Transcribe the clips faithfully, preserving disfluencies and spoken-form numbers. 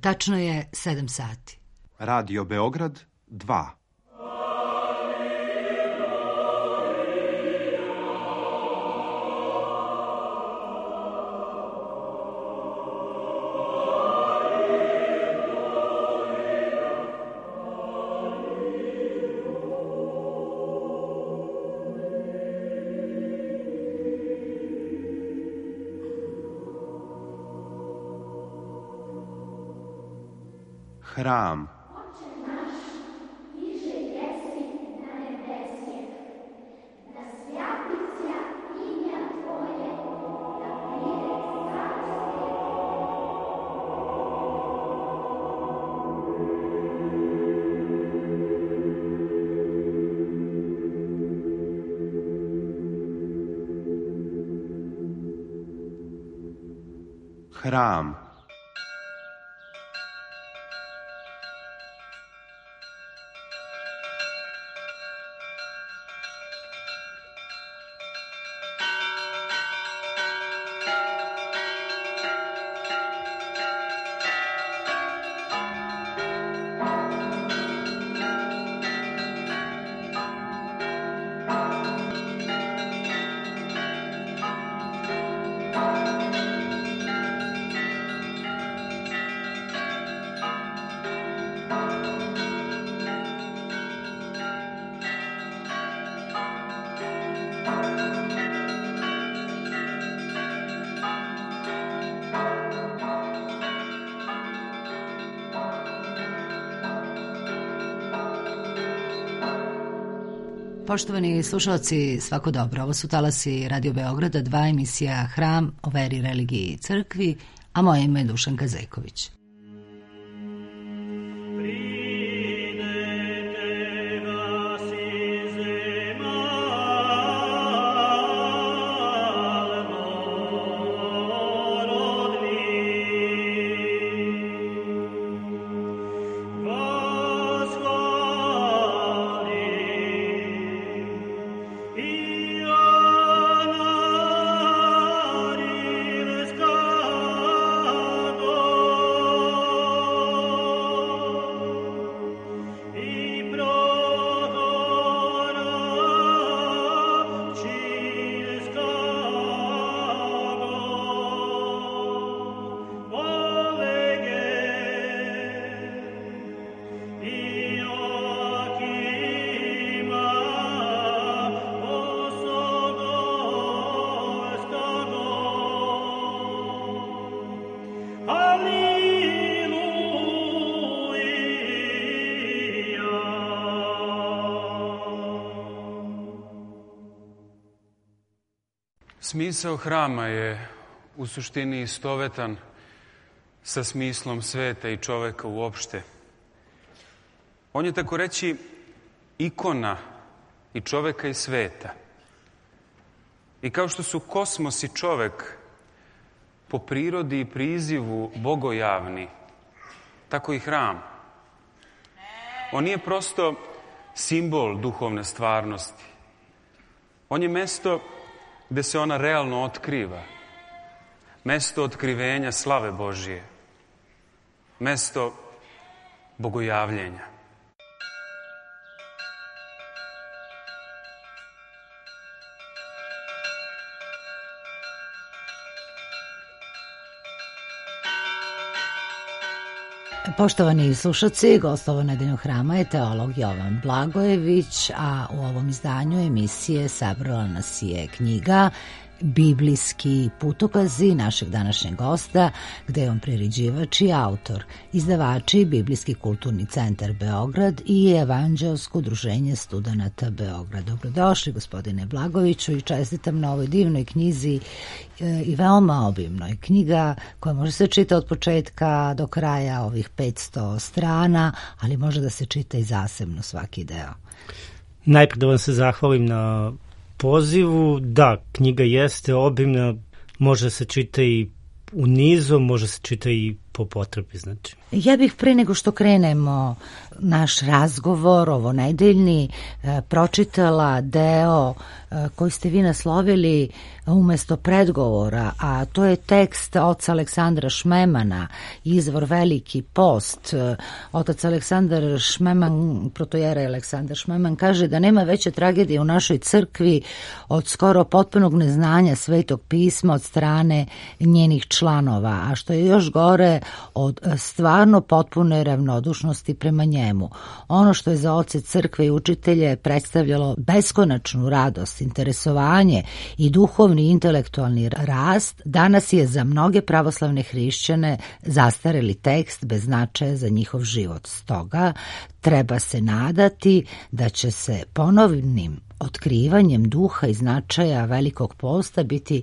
tačno je sedam sati. Radio Beograd dva. Hram. Hram. Poštovani slušalci, svako dobro. Ovo su talasi Radio Beograda, dva, emisija Hram o veri, religiji i crkvi, a moje ime je Dušanka Zejković. Smisao hrama je u suštini istovetan sa smislom sveta i čoveka uopšte. On je, tako reći, ikona i čoveka i sveta. I kao što su kosmos i čovek po prirodi i prizivu bogojavni, tako i hram. On nije prosto simbol duhovne stvarnosti. On je mesto gde se ona realno otkriva. Mesto otkrivenja slave Božije. Mesto bogojavljenja. Poštovani slušalci, gost ovog nedeljnog hrama je teolog Jovan Blagojević, a u ovom izdanju emisije sabrala nas je knjiga Biblijski putokazi našeg današnjeg gosta, gde je on priređivač i autor, izdavači Biblijski kulturni centar Beograd i Evanđelsko udruženje studenata Beograd. Dobrodošli, gospodine Blagojeviću, i čestitam na ovoj divnoj knjizi i veoma obimnoj. Knjiga koja može se čita od početka do kraja, ovih petsto strana, ali može da se čita i zasebno svaki deo. Najprije da vam se zahvalim na pozivu. Da, knjiga jeste obimna, može se čita i u nizu, može se čita i po potrebi, znači. Ja bih pre nego što krenemo naš razgovor, ovo nedeljni, pročitala deo koji ste vi naslovili umesto predgovora, a to je tekst oca Aleksandra Šmemana, izvor Veliki post. Otac Aleksandar Šmeman, protojera Aleksandar Šmeman, kaže da nema veće tragedije u našoj crkvi od skoro potpunog neznanja Svetog pisma od strane njenih članova, a što je još gore od stvarno potpune ravnodušnosti prema njemu. Ono što je za oce crkve i učitelje predstavljalo beskonačnu radost, interesovanje i duhovni i intelektualni rast, danas je za mnoge pravoslavne hrišćane zastareli tekst bez značaja za njihov život. Stoga treba se nadati da će se ponovnim otkrivanjem duha i značaja Velikog posta biti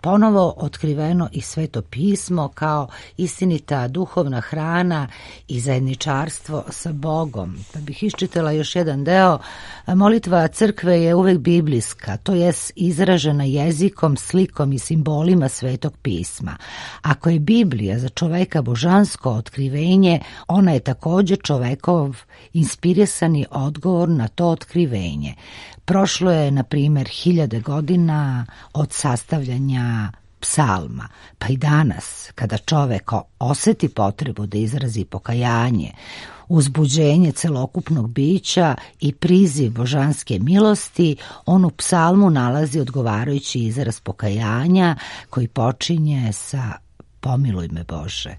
ponovo otkriveno i Sveto pismo kao istinita duhovna hrana i zajedničarstvo sa Bogom. Pa bih iščitala još jedan deo. Molitva crkve je uvek biblijska, to jest izražena jezikom, slikom i simbolima Svetog pisma. Ako je Biblija za čoveka božansko otkrivenje, ona je također čovekov inspirisani odgovor na to otkrivenje. Prošlo je, na primjer, hiljade godina od sastavljanja psalma, pa i danas, kada čovek oseti potrebu da izrazi pokajanje, uzbuđenje celokupnog bića i priziv božanske milosti, on u psalmu nalazi odgovarajući izraz pokajanja koji počinje sa pomiluj me Bože.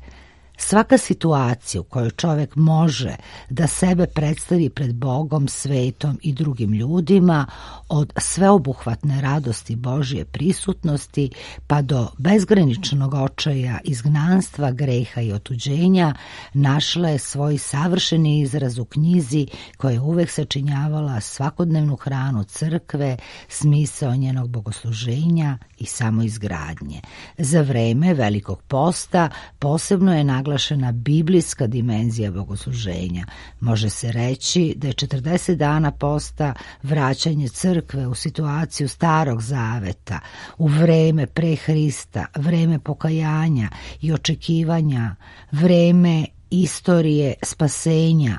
Svaka situacija u kojoj čovek može da sebe predstavi pred Bogom, svetom i drugim ljudima, od sveobuhvatne radosti Božje prisutnosti pa do bezgraničnog očaja, izgnanstva, greha i otuđenja, našla je svoj savršeni izraz u knjizi koja je uvek sačinjavala svakodnevnu hranu crkve, smisao njenog bogosluženja i samoizgradnje. Za vreme Velikog posta posebno je naglašena biblijska dimenzija bogosluženja. Može se reći da je četrdeset dana posta vraćanje crkve u situaciju Starog zaveta, u vreme pre Hrista, vreme pokajanja i očekivanja, vreme istorije spasenja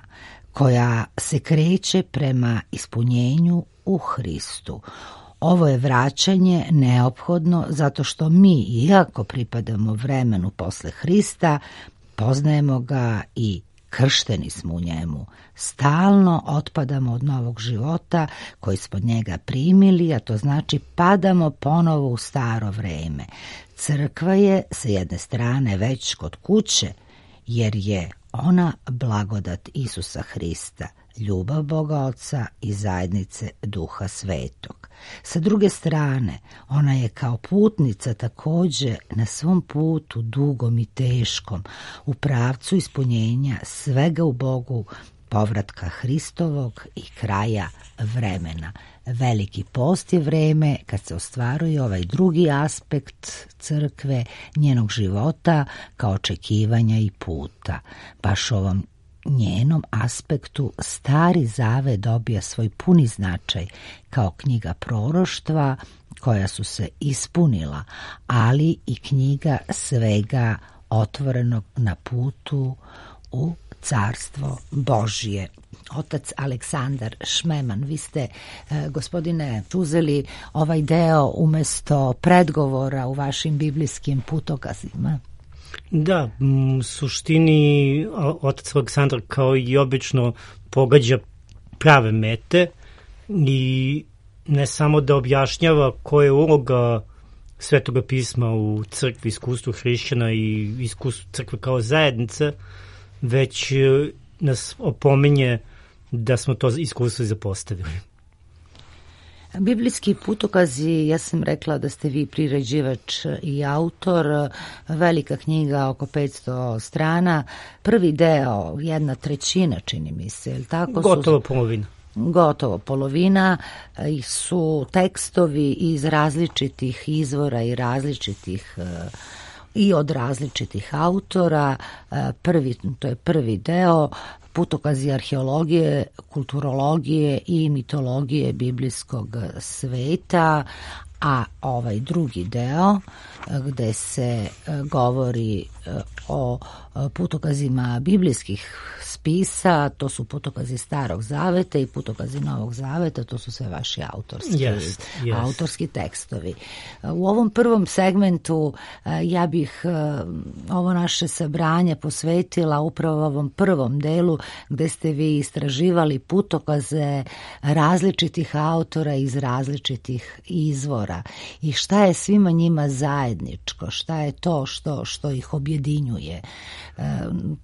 koja se kreće prema ispunjenju u Hristu. Ovo je vraćanje neophodno zato što mi, iako pripadamo vremenu posle Hrista, poznajemo ga i kršteni smo u njemu. Stalno otpadamo od novog života koji smo od njega primili, a to znači padamo ponovo u staro vreme. Crkva je sa jedne strane već kod kuće, jer je ona blagodat Isusa Hrista, ljubav Boga Oca i zajednice Duha Svetog. Sa druge strane, ona je kao putnica također na svom putu dugom i teškom u pravcu ispunjenja svega u Bogu, povratka Hristovog i kraja vremena. Veliki post je vreme kad se ostvaruje ovaj drugi aspekt crkve, njenog života kao očekivanja i puta. Baš ovom njenom aspektu Stari Zavet dobija svoj puni značaj kao knjiga proroštva koja su se ispunila, ali i knjiga svega otvorenog na putu u Carstvo Božje. Otac Aleksandar Šmeman, vi ste, e, gospodine, uzeli ovaj deo umesto predgovora u vašim biblijskim putokazima. Da, u suštini otac Aleksandar kao i obično pogađa prave mete i ne samo da objašnjava koja je uloga Svetoga pisma u crkvi, iskustvu hrišćana i iskustvu crkve kao zajednice, već nas opominje da smo to iskustvo i zapostavili. Biblijski putokazi, ja sam rekla da ste vi priređivač i autor, velika knjiga oko petsto strana, prvi deo, jedna trećina čini mi se, je li tako? Gotovo polovina. Gotovo polovina su tekstovi iz različitih izvora i različitih i od različitih autora. Prvi, to je prvi deo, putokazi arheologije, kulturologije i mitologije biblijskog sveta, a ovaj drugi deo gde se govori o putokazima biblijskih spisa, to su putokazi Starog zaveta i putokazi Novog zaveta, to su sve vaši autorski, yes, yes. autorski tekstovi. U ovom prvom segmentu ja bih ovo naše sabranje posvetila upravo ovom prvom delu gde ste vi istraživali putokaze različitih autora iz različitih izvora i šta je svima njima zajedničko, šta je to što, što ih objedinjuje. E,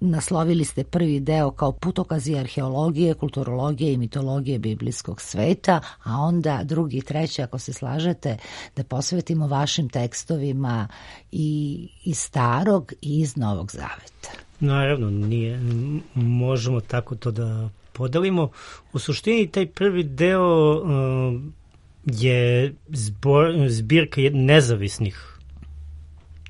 naslovili ste prvi deo kao putokazi arheologije, kulturologije i mitologije biblijskog sveta, a onda drugi i treći, ako se slažete, da posvetimo vašim tekstovima i iz Starog i iz Novog zaveta. Naravno, nije, možemo tako to da podelimo. U suštini taj prvi deo uh, je zbor, zbirka nezavisnih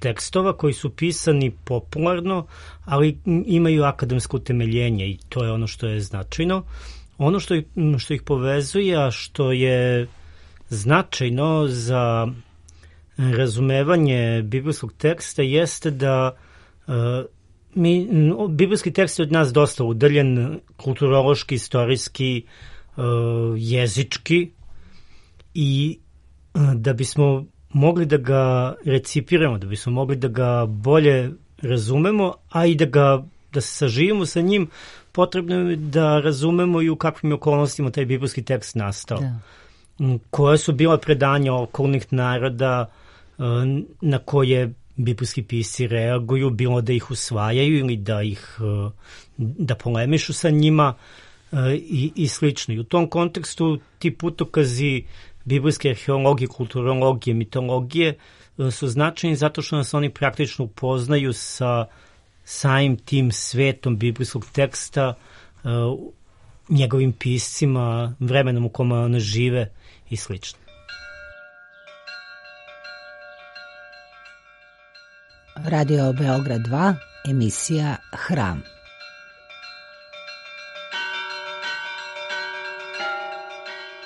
tekstova koji su pisani popularno, ali imaju akademsko utemeljenje i to je ono što je značajno. Ono što ih, što ih povezuje, a što je značajno za razumevanje biblijskog teksta jeste da uh, mi, biblijski tekst je od nas dosta udaljen, kulturološki, istorijski, uh, jezički i uh, da bismo mogli da ga recipiramo, da bismo mogli da ga bolje razumemo, a i da ga da se saživimo sa njim, potrebno je da razumemo i u kakvim okolnostima taj biblijski tekst nastao. Da. Koje su bila predanja okolnih naroda na koje biblijski pisci reaguju, bilo da ih usvajaju ili da ih da polemišu sa njima i, i slično. I u tom kontekstu ti putokazi biblijske arheologije, kulturologije, mitologije su značajni zato što nas oni praktično upoznaju sa samim tim svetom biblijskog teksta, njegovim piscima, vremenom u kome one žive i slično. Radio Beograd dva, emisija Hram.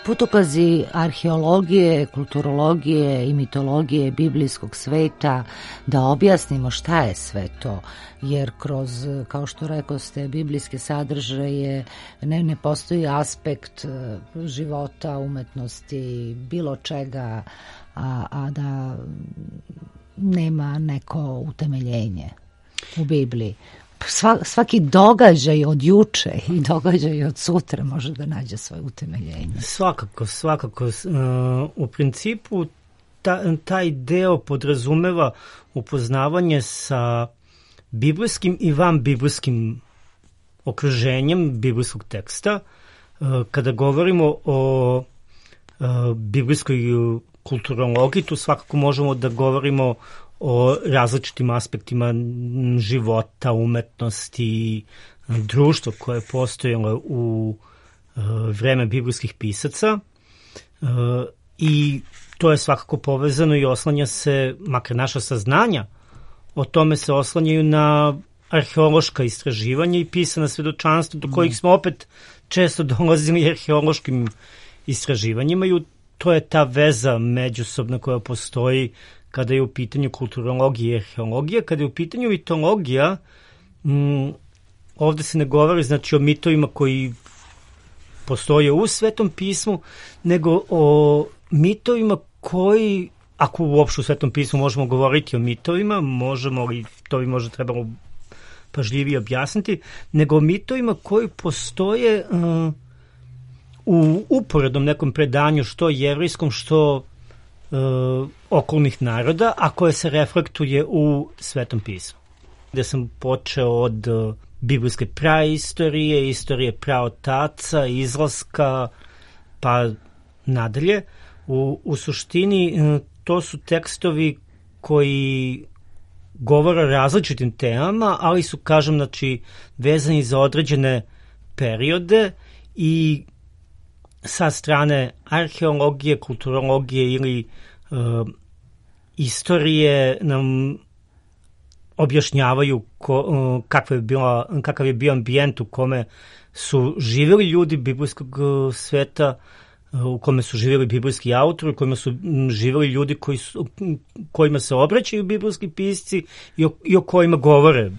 Putokazi arheologije, kulturologije i mitologije biblijskog sveta, da objasnimo šta je sve to, jer kroz, kao što rekoste, biblijske sadržaje ne, ne postoji aspekt života, umetnosti, bilo čega, a, a da nema neko utemeljenje u Bibliji. Sva, svaki događaj od juče i događaj od sutra može da nađe svoje utemeljenje. Svakako, svakako. Uh, u principu ta, taj deo podrazumeva upoznavanje sa biblijskim i van biblijskim okruženjem biblijskog teksta. Uh, kada govorimo o uh, biblijskoj kulturologiji, tu svakako možemo da govorimo o različitim aspektima života, umetnosti, društva koje je postojalo u uh, vreme biblijskih pisaca uh, i to je svakako povezano i oslanja se, makar naša saznanja o tome se oslanjaju na arheološka istraživanja i pisana svedočanstva do kojih smo opet često dolazili arheološkim istraživanjima i to je ta veza međusobna koja postoji kada je u pitanju kulturologija i arheologija. Kada je u pitanju mitologija, m, ovde se ne govori znači o mitovima koji postoje u Svetom pismu, nego o mitovima koji, ako uopšte u Svetom pismu možemo govoriti o mitovima, možemo li, to bi možda trebalo pažljivije objasniti, nego o mitovima koji postoje uh, u uporednom nekom predanju, što jevrijskom, što Uh, okolnih naroda, a koje se reflektuje u Svetom pismu. Gde sam počeo od uh, biblijske praistorije, istorije praotaca, izlaska, pa nadalje. U, u suštini uh, to su tekstovi koji govore o različitim temama, ali su, kažem, znači, vezani za određene periode i sa strane arheologije, kulturologije ili uh, istorije nam objašnjavaju ko, uh, kakva je bila, kakav je bio ambijent u kome su živjeli ljudi biblijskog uh, sveta, uh, u kome su živjeli biblijski autori, u kojima su živjeli ljudi koji su, kojima se obraćaju biblijski pisci i o, i o kojima govore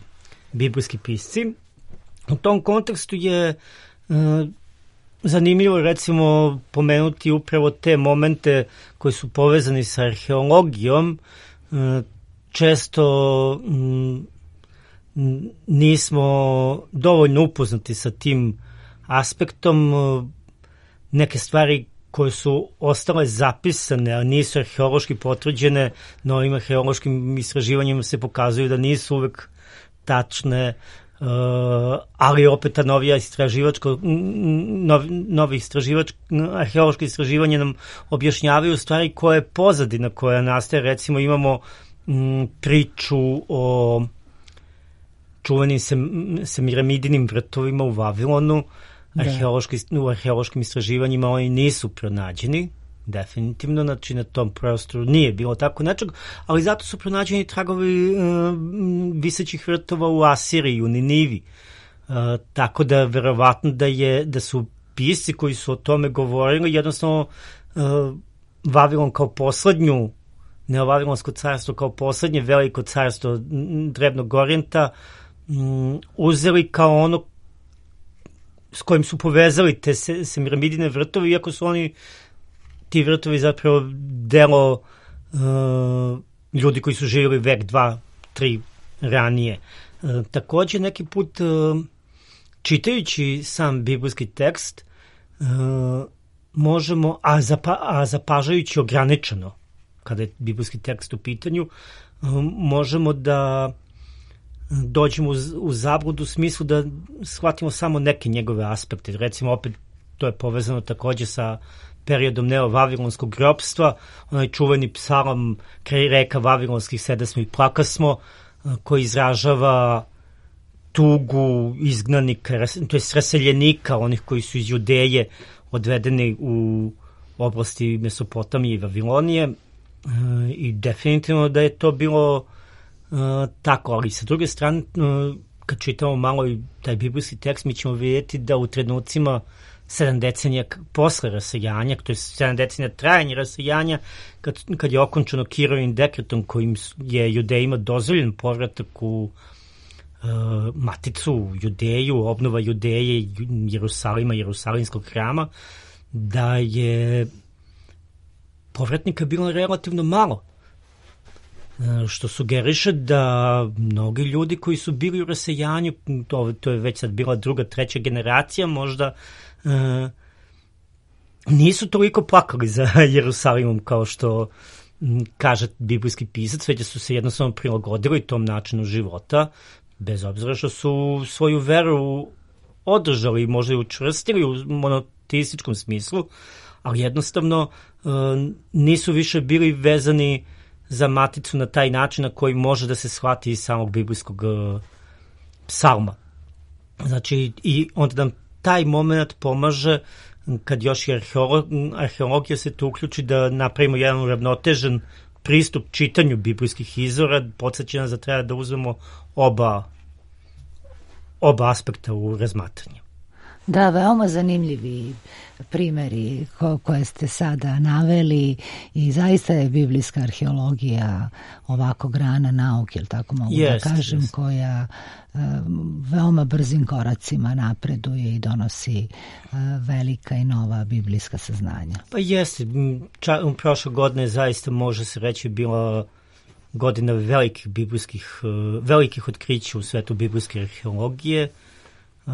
biblijski pisci. U tom kontekstu je uh, zanimljivo recimo pomenuti upravo te momente koji su povezani sa arheologijom. Uh, često um, nismo dovoljno upoznati sa tim aspektom. Uh, neke stvari koje su ostale zapisane, a nisu arheološki potvrđene, novim arheološkim istraživanjima se pokazuju da nisu uvek tačne, uh, ali opet ta novija istraživačko, nov, novi istraživač, arheološko istraživanje nam objašnjavaju stvari koje je pozadina koja nastaje. Recimo imamo m, priču o čuvenim sem, semiramidinim vrtovima u Vavilonu. Arheološki, u arheološkim istraživanjima oni nisu pronađeni, definitivno, znači na tom prostoru nije bilo tako nečeg, ali zato su pronađeni tragovi uh, visećih vrtova u Asiriji, u Ninivi. Uh, tako da verovatno da, je, da su pisci koji su o tome govorili, jednostavno uh, Vavilon kao poslednju, Neovavilonsko carstvo kao poslednje veliko carstvo Drevnog Orijenta um, uzeli kao ono s kojim su povezali te semiramidine vrtove, iako su oni, ti vrtovi zapravo delo uh, ljudi koji su živjeli vek, dva, tri ranije. Uh, također neki put uh, čitajući sam biblijski tekst uh, možemo, a, zapa, a zapažajući ograničeno kada je biblijski tekst u pitanju, uh, možemo da dođemo u, u zabludu u smislu da shvatimo samo neke njegove aspekte. Recimo, opet, to je povezano također sa periodom neovavilonskog ropstva, onaj čuveni psalam kraj reka vavilonskih sedasmo i plakasmo, koji izražava tugu izgnanika, to je raseljenika, onih koji su iz Judeje odvedeni u oblasti Mesopotamije i Vavilonije, i definitivno da je to bilo Uh, tako, ali sa druge strane, uh, kad čitamo malo i taj biblijski tekst, mi ćemo vidjeti da u trenucima sedam decenija posle rasejanja, to je sedam decenija trajanja rasejanja, kad, kad je okončano Kirovim dekretom kojim je Judejima dozvoljen povratak u uh, maticu, u Judeju, obnova Judeje, Jerusalima, Jerusalimskog hrama, da je povratnika bilo relativno malo. Što sugeriše da mnogi ljudi koji su bili u rasejanju, to, to je već sad bila druga, treća generacija, možda uh, nisu toliko plakali za Jerusalimom kao što m, kaže biblijski pisac, već su se jednostavno prilagodili tom načinu života, bez obzira što su svoju veru održali, možda i učvrstili u monoteističkom smislu, ali jednostavno uh, nisu više bili vezani za maticu na taj način na koji može da se shvati iz samog biblijskog uh, psalma. Znači, i onda nam taj moment pomaže kad još i arheolog, arheologija se tu uključi da napravimo jedan uravnotežen pristup čitanju biblijskih izvora, podsjeća nas da treba da uzmemo oba, oba aspekta u razmatranje. Da, veoma zanimljivi primeri ko, koje ste sada naveli i zaista je biblijska arheologija ovako grana nauke, ili tako mogu yes, da kažem, yes. koja uh, veoma brzim koracima napreduje i donosi uh, velika i nova biblijska saznanja. Pa jeste, ča, prošle godine zaista može se reći bila godina velikih biblijskih, uh, velikih otkrića u svetu biblijske arheologije, uh,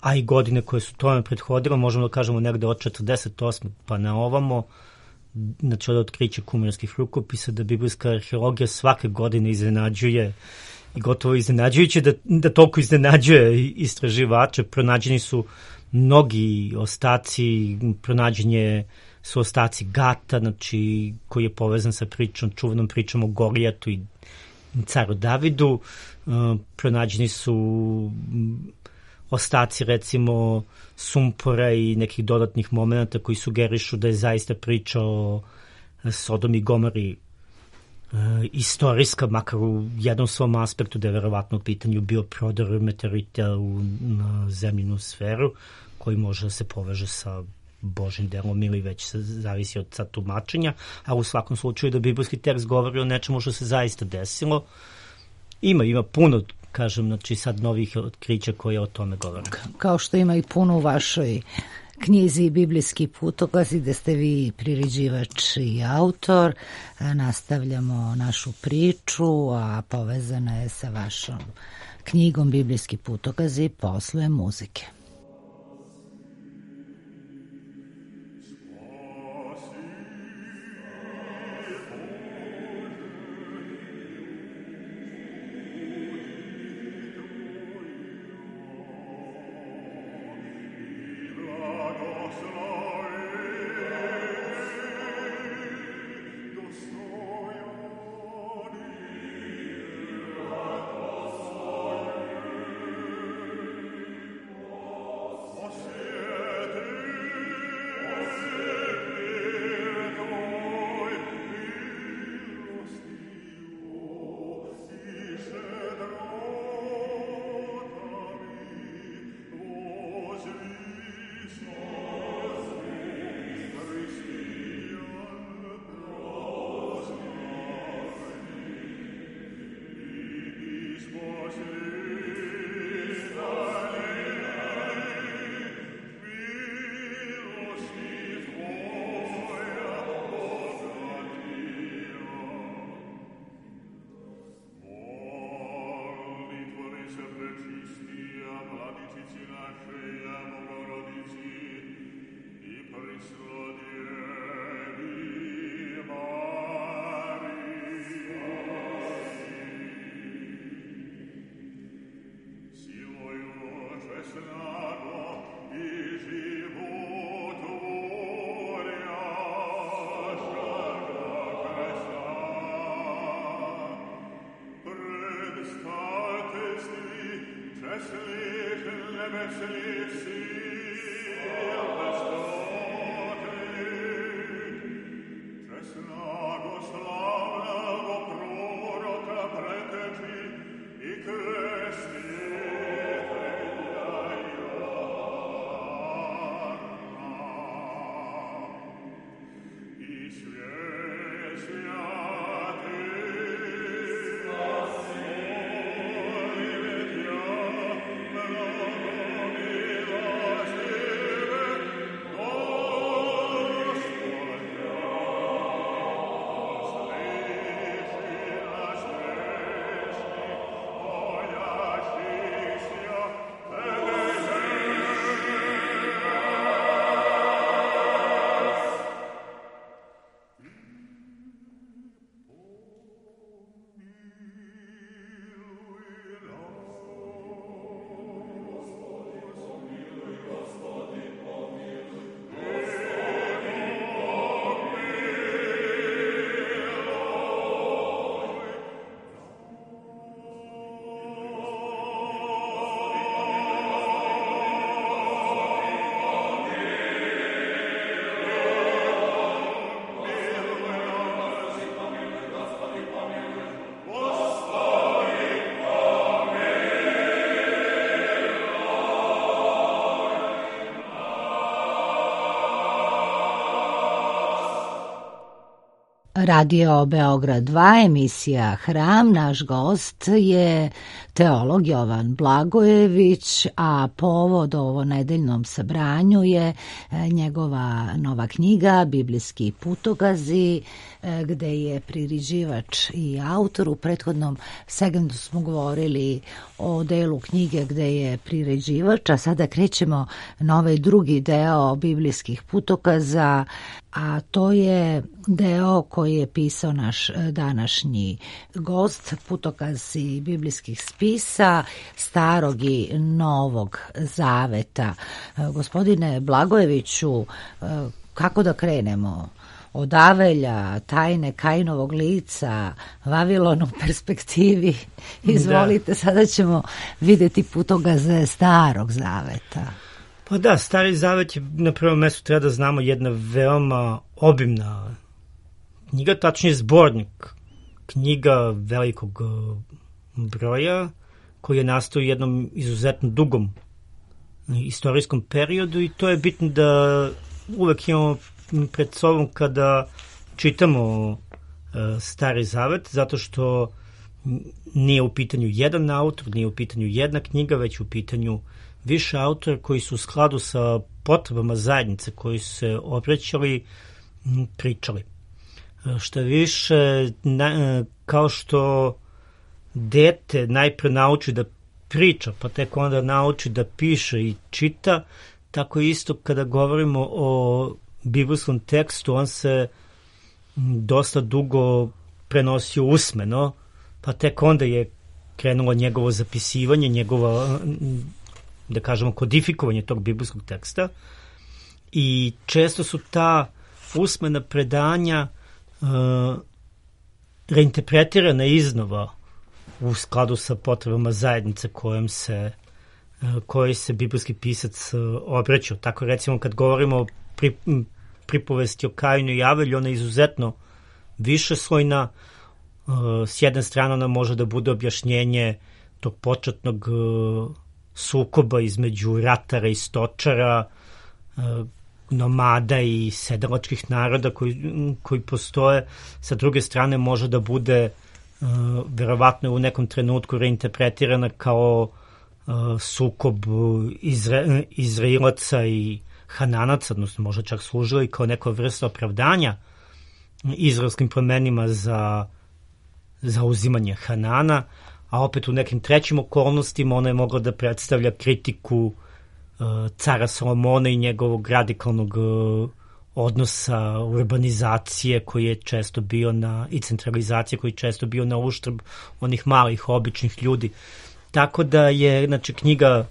a i godine koje su tome prethodile, možemo da kažemo negde od četrdeset osme pa na ovamo, znači od otkrića kumirskih rukopisa, da biblijska arheologija svake godine iznenađuje i gotovo iznenađujuće da, da toliko iznenađuje istraživače. Pronađeni su mnogi ostaci, pronađenje su ostaci Gata, znači koji je povezan sa pričom, čuvenom pričom o Golijatu i caru Davidu. Uh, pronađeni su ostaci recimo sumpora i nekih dodatnih momenata koji sugerišu da je zaista priča o Sodom i Gomori e, istorijska, makar u jednom svom aspektu, da je verovatno u pitanju bio prodor meteorita u na zemljinu sferu, koji može da se poveže sa Božim delom ili već se zavisi od sad tumačenja, a u svakom slučaju da biblijski tekst govori o nečemu što se zaista desilo. Ima, ima puno, kažem, znači sad novih otkrića koje o tome govore. Kao što ima i puno u vašoj knjizi Biblijski putokazi, gde ste vi priređivač i autor. Nastavljamo našu priču, a povezana je sa vašom knjigom Biblijski putokazi posle muzike. Radio Beograd dva, emisija Hram. Naš gost je teolog Jovan Blagojević, a povod ovo nedeljnom sabranju je njegova nova knjiga Biblijski putokazi, gde je priređivač i autor. U prethodnom segmentu smo govorili o delu knjige gde je priređivač, a sada krećemo na ovaj drugi deo biblijskih putokaza, a to je deo koji je pisao naš današnji gost, putokazi biblijskih spisa Starog i Novog Zaveta. Gospodine Blagojeviću, kako da krenemo? Od Avelja, tajne Kainovog lica, Vavilon u perspektivi. Izvolite, da. Sada ćemo vidjeti putokaze Starog Zaveta. Pa da, Stari Zavet je na prvom mjestu, treba da znamo, jedna veoma obimna knjiga, tačnije zbornik. Knjiga velikog broja koji je nastao u jednom izuzetno dugom istorijskom periodu i to je bitno da uvek imamo pred sobom kada čitamo uh, Stari Zavet, zato što nije u pitanju jedan autor, nije u pitanju jedna knjiga, već u pitanju više autora koji su u skladu sa potrebama zajednice, koji su se obraćali, pričali. Šta više, na, kao što dete najpre nauči da priča, pa tek onda nauči da piše i čita, tako isto kada govorimo o biblijskom tekstu, on se dosta dugo prenosio usmeno, pa tek onda je krenulo njegovo zapisivanje, njegovo, da kažemo, kodifikovanje tog biblijskog teksta. I često su ta usmena predanja uh, reinterpretirana iznova u skladu sa potrebama zajednice kojom se, uh, kojoj se biblijski pisac uh, obraćao. Tako recimo kad govorimo o pri, pripovesti o Kainu i Avelju, ona je izuzetno višeslojna. Uh, s jedne strane ona može da bude objašnjenje tog početnog uh, sukoba između ratara i stočara, uh, nomada i sedalačkih naroda koji, koji postoje. Sa druge strane može da bude uh, verovatno u nekom trenutku reinterpretirana kao uh, sukob Izra, Izrailaca i Hananaca, odnosno može čak služila i kao neka vrsta opravdanja izraelskim plemenima za za uzimanje Hanana, a opet u nekim trećim okolnostima ona je mogla da predstavlja kritiku uh, cara Solomona i njegovog radikalnog uh, odnosa urbanizacije koji je često bio na, i centralizacije koji je često bio na uštrb onih malih, običnih ljudi. Tako da je, znači, knjiga,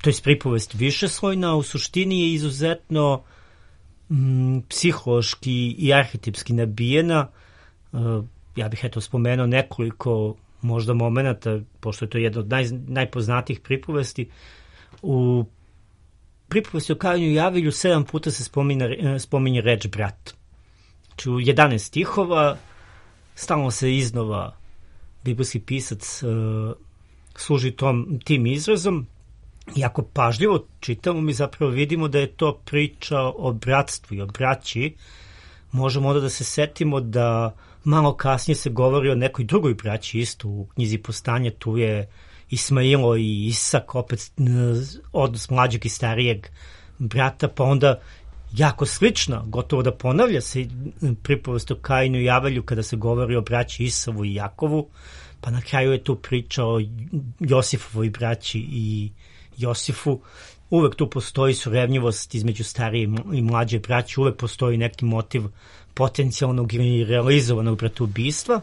to je pripovest višeslojna, u suštini je izuzetno mm, psihološki i arhetipski nabijena. Uh, ja bih eto spomenuo nekoliko možda momenata, pošto je to jedna od naj, najpoznatijih pripovesti. U pripovesti o Kainu i Avelju sedam puta se spominje, spominje reč brat. Znači u jedanaest stihova stalno se iznova biblijski pisac uh, služi tom, tim izrazom i ako pažljivo čitamo mi zapravo vidimo da je to priča o bratstvu i o braći. Možemo onda da se setimo da malo kasnije se govori o nekoj drugoj braći isto u knjizi Postanja, tu je Ismailo i Isak, opet odnos mlađeg i starijeg brata, pa onda jako slična, gotovo da ponavlja se pripovest o Kainu i Avelju kada se govori o braći Isavu i Jakovu, pa na kraju je tu priča o Josifovoj braći i Josifu. Uvek tu postoji surevnjivost između starije i mlađe braće, uvek postoji neki motiv potencijalnog ili realizovanog bratoubistva.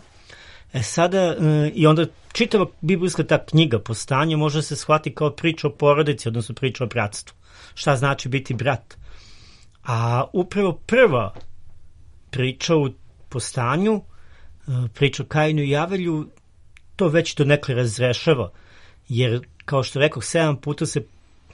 E sada, e, i onda čitava biblijska ta knjiga Postanje može se shvati kao priča o porodici, odnosno priča o bratstvu. Šta znači biti brat? A upravo prva priča u Postanju, e, priča o Kainu i Avelju, to već to nekle razrešava, jer kao što rekao, sedam puta se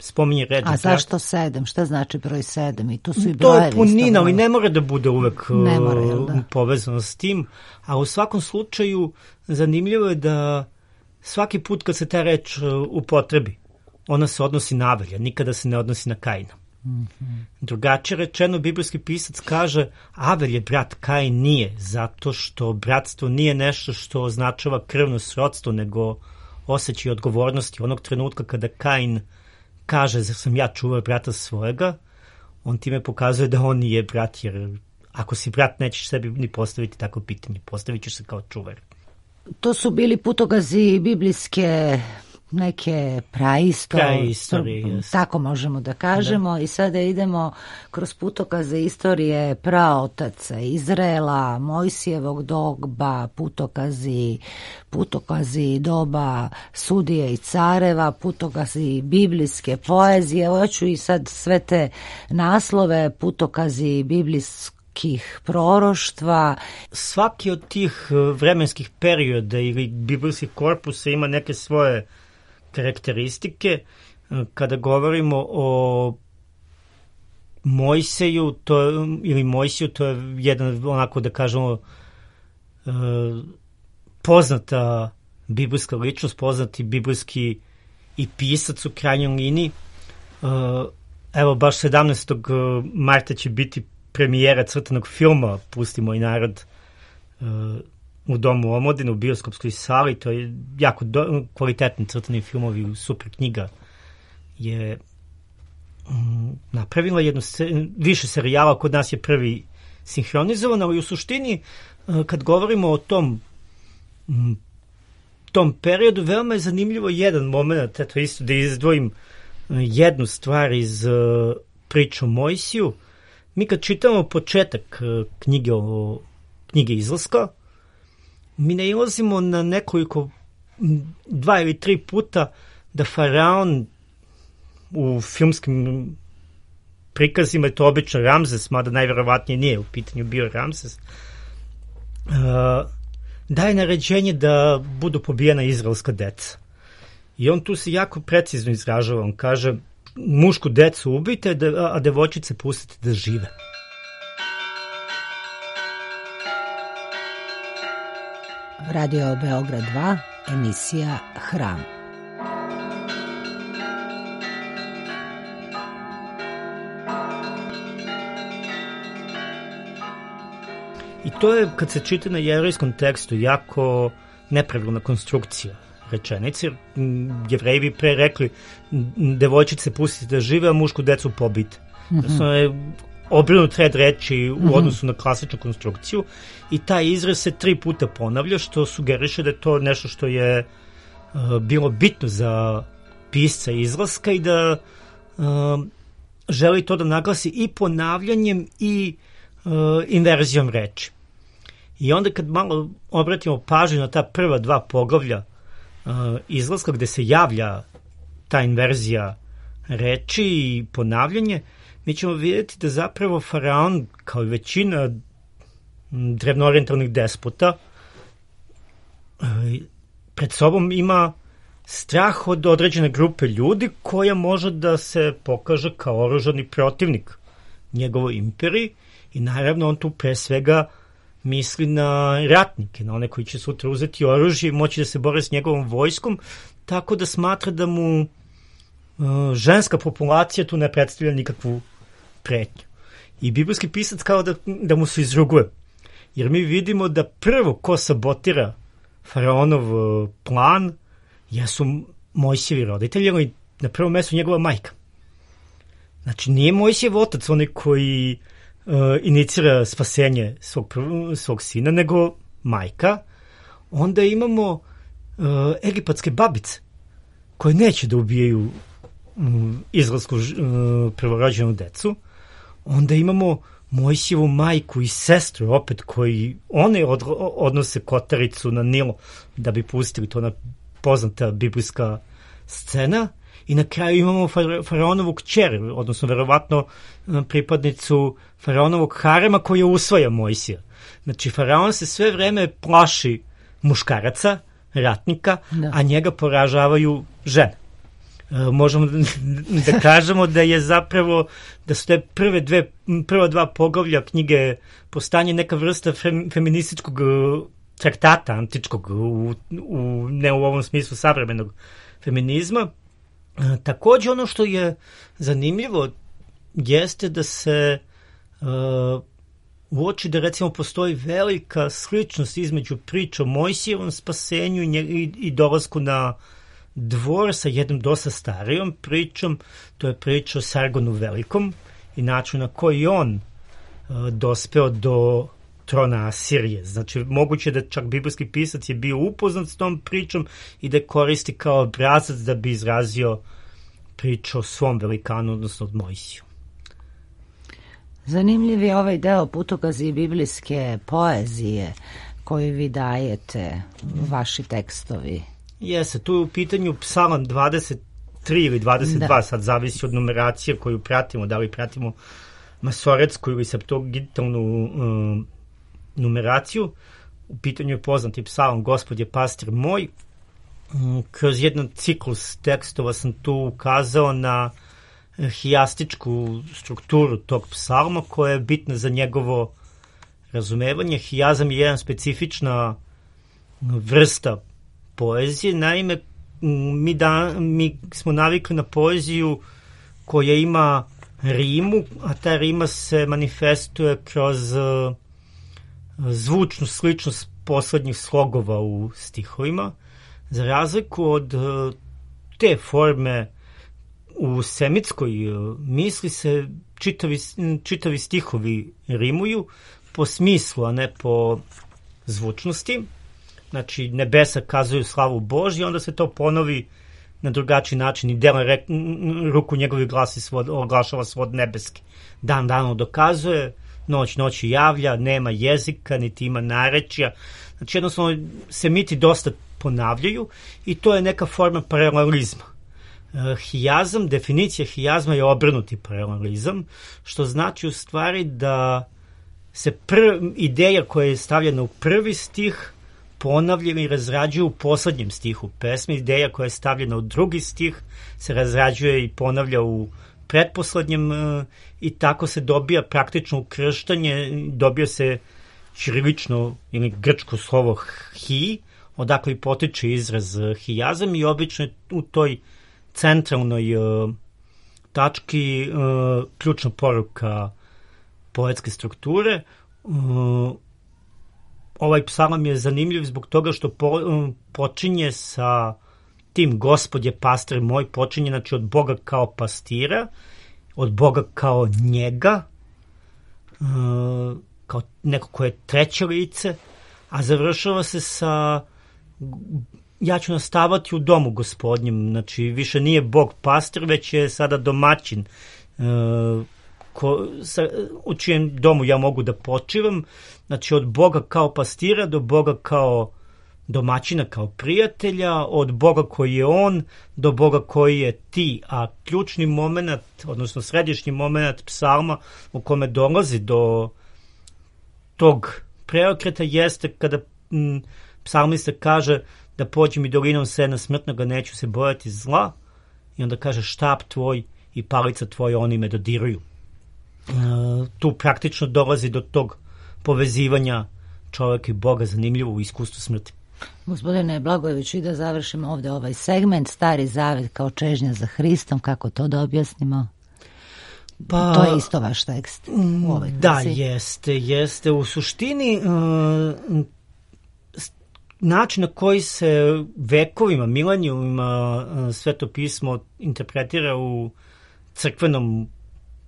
spominje reč. A zašto sedam? Šta znači broj sedam? I tu su i brojevi. To je punina, ali ne mora da bude uvek mora, da? povezano s tim. A u svakom slučaju zanimljivo je da svaki put kad se ta reč upotrebi, ona se odnosi na Avelja, nikada se ne odnosi na Kaina. Mm-hmm. Drugačije rečeno, biblijski pisac kaže Avelj je brat, Kain nije, zato što bratstvo nije nešto što označava krvno srodstvo, nego osjećaj odgovornosti. Onog trenutka kada Kain kaže, zar sam ja čuvao brata svojega, on time pokazuje da on nije brat, jer ako si brat nećeš sebi ni postaviti tako pitanje, postavit ćeš se kao čuvar. To su bili putokazi biblijske neke praistorije, tako možemo da kažemo, da. I sada idemo kroz putokaze istorije praotaca Izraela, Mojsijevog doba, putokazi, putokazi doba sudije i careva, putokazi biblijske poezije. Evo ja ću i sad sve te naslove, putokazi biblijskih proroštva. Svaki od tih vremenskih perioda ili biblijskih korpusa ima neke svoje karakteristike. Kada govorimo o Mojseju, to, ili Mojsiju, to je jedan, onako da kažemo, poznata biblijska ličnost, poznati biblijski i pisac u krajnjoj liniji. evo baš sedamnaestog marta će biti premijera crtanog filma Pusti moj narod uh, u Domu omladine, u bioskopskoj sali. To je jako do, kvalitetni crtani filmovi, super knjiga je um, napravila jednu se, više serijala, kod nas je prvi sinhronizovan, ali u suštini uh, kad govorimo o tom um, tom periodu, veoma je zanimljivo jedan moment, eto isto da izdvojim uh, jednu stvar iz uh, priče o Mojsiju. Mi kad čitamo početak uh, knjige, o, knjige Izlaska, mi nailazimo na nekoliko, dva ili tri puta da faraon u filmskim prikazima, je to obično Ramzes, mada najverovatnije nije u pitanju bio Ramzes, uh, daje naređenje da budu pobijena izraelska deca. I on tu se jako precizno izražava. On kaže, mušku decu ubijte, a devojčice pustite da žive. Radio Beograd dva, emisija Hram. I to je, kad se čita na jevrejskom tekstu, jako nepravilna konstrukcija rečenice. Jevreji bi pre rekli, devojčice pustite da žive, a mušku decu pobite. Mm-hmm. Znači, je obrnut red reči u mm-hmm. odnosu na klasičnu konstrukciju i taj izraz se tri puta ponavlja, što sugeriše da je to nešto što je uh, bilo bitno za pisca Izlaska i da uh, želi to da naglasi i ponavljanjem i uh, inverzijom reči. I onda kad malo obratimo pažnju na ta prva dva poglavlja uh, Izlaska, gde se javlja ta inverzija reči i ponavljanje, mi ćemo vidjeti da zapravo faraon, kao i većina drevnoorijentalnih despota, uh, pred sobom ima strah od određene grupe ljudi koja može da se pokaže kao oružani protivnik njegovoj imperiji i naravno on tu pre svega misli na ratnike, na one koji će sutra uzeti oružje i moći da se bore s njegovom vojskom, tako da smatra da mu uh, ženska populacija tu ne predstavlja nikakvu pretnju. I biblijski pisac kao da, da mu se izruguje. Jer mi vidimo da prvo ko sabotira faraonov uh, plan jesu Mojsijevi roditelji, ali na prvom mjestu njegova majka. Znači, nije Mojsijev otac onaj koji uh, inicira spasenje svog, svog sina, nego majka. Onda imamo uh, egipatske babice koje neće da ubijaju um, izraelsku uh, prvorođenu decu. Onda imamo Mojsijevu majku i sestru, opet koji one od, odnose kotaricu na Nilo da bi pustili to na poznata biblijska scena. I na kraju imamo faraonovu kćer, odnosno verovatno pripadnicu faraonovog harema koja usvaja Mojsija. Znači, faraon se sve vreme plaši muškaraca, ratnika, da. A njega poražavaju žene. E, možemo da, da kažemo da je zapravo, da su te prve dve, prva dva poglavlja knjige Postanje neka vrsta fem, feminističkog traktata antičkog, u, u, ne u ovom smislu savremenog feminizma. E, takođe ono što je zanimljivo jeste da se e, uoči da recimo postoji velika sličnost između priča o Mojsijevom spasenju i, nje, i, i dolasku na dvor sa jednom dosta starijom pričom. To je priča o Sargonu Velikom i načinu na koji on e, dospeo do trona Asirije. Znači, moguće da čak biblijski pisac je bio upoznat s tom pričom i da koristi kao obrazac da bi izrazio priču o svom velikanu, odnosno od Mojsiju. Zanimljiv je ovaj deo putokazi biblijske poezije koju vi dajete, vaši tekstovi. Jeste, tu je u pitanju psalam dvadeset tri ili dvadeset dva, da. Sad zavisi od numeracije koju pratimo, da li pratimo masoretsku ili septuagintalnu um, numeraciju. U pitanju je poznati psalam Gospod je pastir moj. Kroz jedan ciklus tekstova sam tu ukazao na hijastičku strukturu tog psalma koja je bitna za njegovo razumevanje. Hijazam je jedan specifična vrsta poezije. Naime, mi, da, mi smo navikli na poeziju koja ima rimu, a ta rima se manifestuje kroz uh, zvučnu sličnost poslednjih slogova u stihovima, za razliku od uh, te forme u semitskoj uh, misli se čitavi, čitavi stihovi rimuju po smislu, a ne po zvučnosti. Znači, nebesa kazuju slavu Božju, onda se to ponovi na drugačiji način i dela rek, ruku njegovi glasi svod, oglašava svod nebeski. Dan danu dokazuje, noć noći javlja, nema jezika, niti ima narečja. Znači, jednostavno, semiti dosta ponavljaju i to je neka forma paralelizma. E, hijazam, definicija hijazma je obrnuti paralelizam, što znači u stvari da se prv, ideja koja je stavljena u prvi stih ponavlja i razrađuje u poslednjem stihu pesme. Ideja koja je stavljena u drugi stih se razrađuje i ponavlja u pretposlednjem i tako se dobija praktično ukrštanje, dobija se ćirilično ili grčko slovo hi, odakle i potiče izraz hijazam i obično je u toj centralnoj uh, tački uh, ključna poruka poetske strukture. Uh, ovaj psalam je zanimljiv zbog toga što po, uh, počinje sa tim Gospod je pastir moj, počinje znači od Boga kao pastira, od Boga kao njega, uh, kao neko ko je treće lice, a završava se sa ja ću nastavati u domu Gospodnjem, znači više nije Bog pastir, već je sada domaćin, uh, ko, sa, u čijem domu ja mogu da počivam, znači od Boga kao pastira do Boga kao domaćina, kao prijatelja, od Boga koji je on do Boga koji je ti, a ključni moment, odnosno središnji moment psalma u kome dolazi do tog preokreta jeste kada m, psalmista kaže da pođem i dolinom sena smrtnoga, neću se bojati zla, i onda kaže štap tvoj i palica tvoja, oni me dodiruju. E, tu praktično dolazi do tog povezivanja čovjeka i Boga, zanimljivo u iskustvu smrti. Gospodine Blagojeviću, i da završimo ovde ovaj segment, Stari zavet kao čežnja za Hristom, kako to da objasnimo? Pa, to je isto vaš tekst u ovoj knjizi. Da, jeste, jeste. U suštini uh, način na koji se vekovima, milenijumima uh, Sveto pismo interpretira u crkvenom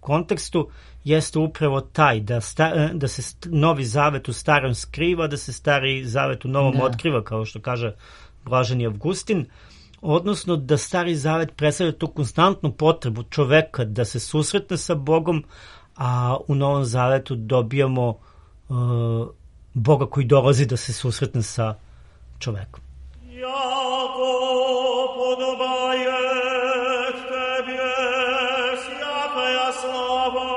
kontekstu jeste upravo taj da, sta, da se Novi zavet u starom skriva, da se Stari zavet u novom da. otkriva, kao što kaže Blaženi Avgustin, odnosno da Stari zavet predstavlja tu konstantnu potrebu čoveka da se susretne sa Bogom, a u Novom zavetu dobijamo uh, Boga koji dolazi da se susretne sa čovekom. Jako podobaje tebie svjataja slava,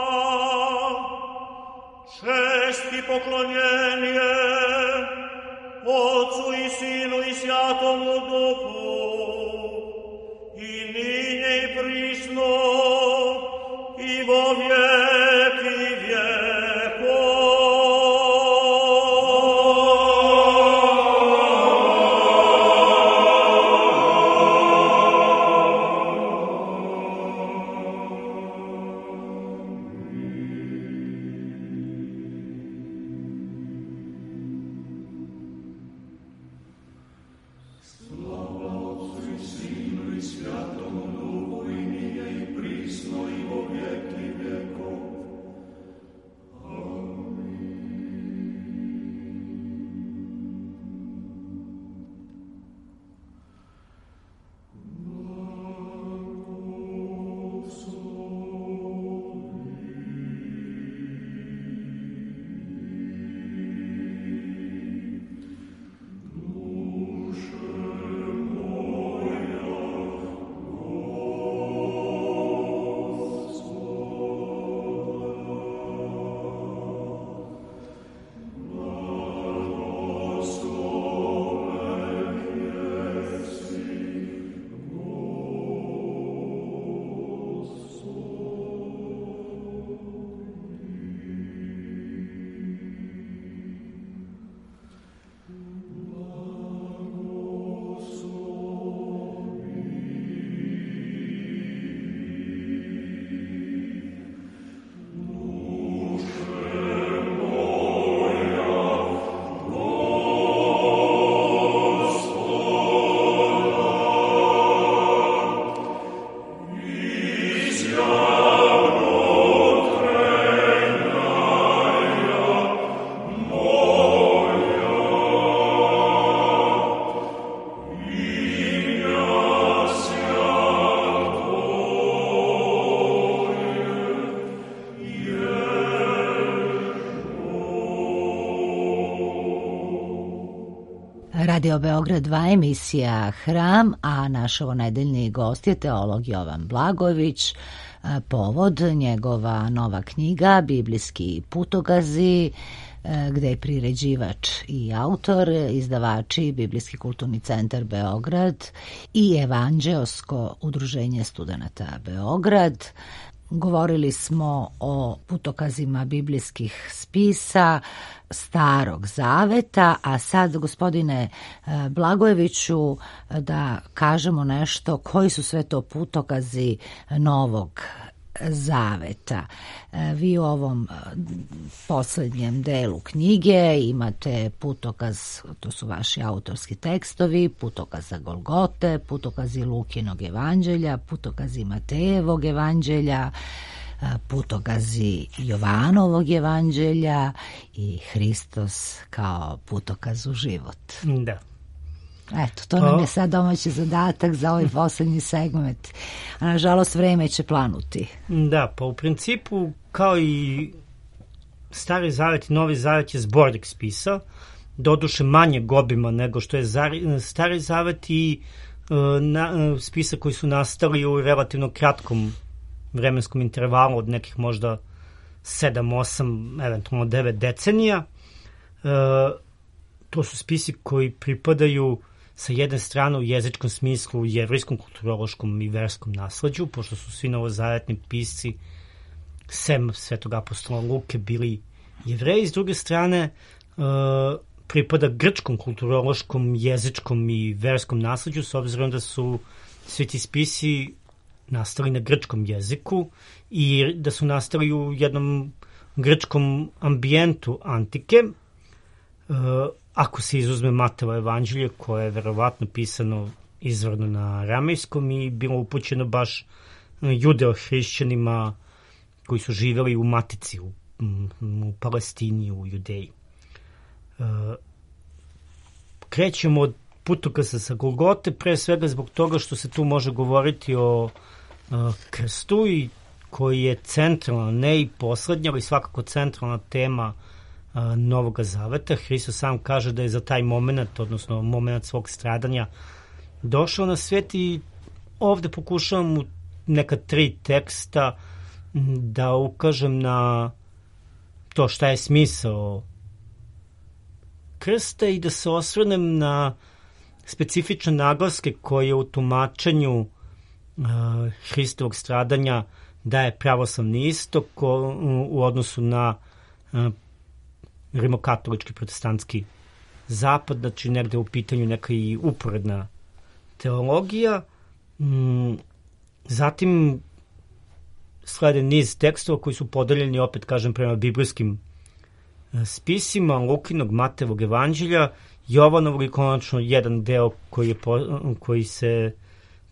cześć i poklonienie Otcu i Synu i Świętemu Duchu, i nynie i prišno i vo wieki wieków. Slava Otcu i Synu i Świętemu Duchu, i nynie i prišno Radio Beograd dva, emisija Hram, a naš ovonedeljni gost je teolog Jovan Blagojević. Povod njegova nova knjiga Biblijski putokazi, gde je priređivač i autor, izdavači Biblijski kulturni centar Beograd i Evanđeosko udruženje studenata Beograd. Govorili smo o putokazima biblijskih spisa Starog Zaveta, a sad, gospodine Blagojeviću, da kažemo nešto koji su sve to putokazi Novog Zaveta. Vi u ovom poslednjem delu knjige imate putokaz, to su vaši autorski tekstovi, putokaza Golgote, putokazi Lukinog evanđelja, putokazi Matejevog evanđelja, putokazi Jovanovog evanđelja i Hristos kao putokaz u život. Da. Eto, to nam je sad domaći zadatak za ovaj poslednji segment. A nažalost, vreme će planuti. Da, pa u principu, kao i Stari Zavet i Novi Zavet je zbornik spisa, doduše manjeg obima nego što je Stari Zavet i uh, na, uh, spisa koji su nastali u relativno kratkom vremenskom intervalu od nekih možda sedam, osam, eventualno devet decenija. Uh, to su spisi koji pripadaju sa jedne strane u jezičkom smislu jevrijskom, kulturološkom i verskom nasleđu, pošto su svi novozavetni pisci sem Svetog apostola Luke bili Jevreji, s druge strane uh, pripada grčkom, kulturološkom, jezičkom i verskom nasleđu, s obzirom da su svi ti spisi nastali na grčkom jeziku i da su nastali u jednom grčkom ambijentu antike. Uh, ako se izuzme Matejevo evanđelje, koje je verovatno pisano izvorno na aramejskom i bilo upućeno baš judeo-hrišćanima koji su živeli u Matici, u, u Palestini, u Judeji. Uh, krećemo od putokaza sa Golgote, pre svega zbog toga što se tu može govoriti o uh, krstu, i koji je centralna, ne i poslednja, ali svakako centralna tema uh, Novog Zaveta. Hristos sam kaže da je za taj moment, odnosno moment svog stradanja, došao na svet, i ovde pokušavam u neka tri teksta da ukažem na to šta je smisao krsta i da se osvrnem na specifične naglaske koje u tumačenju uh, Hristovog stradanja daje pravoslavni istok u, u odnosu na uh, rimokatolički protestantski zapad, znači negde u pitanju neka i uporedna teologija. Mm, zatim slede niz tekstova koji su podeljeni, opet kažem, prema biblijskim spisima Lukinog, Matejevog evanđelja, Jovanovog i konačno jedan deo koji, je po, koji se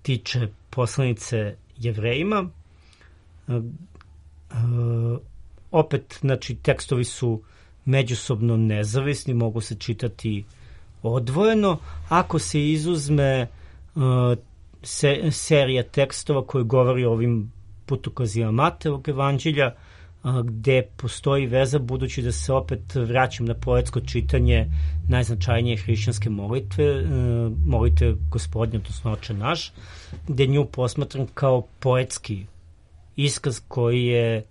tiče poslanice Jevrejima. E, e, opet, znači, tekstovi su međusobno nezavisni, mogu se čitati odvojeno. Ako se izuzme e, se, serija tekstova koji govori o ovim putokazima Matejevog evanđelja, gde postoji veza, budući da se opet vraćam na poetsko čitanje najznačajnije hrišćanske molitve, molitve Gospodnje, odnosno Oče naš, gde nju posmatram kao poetski iskaz koji je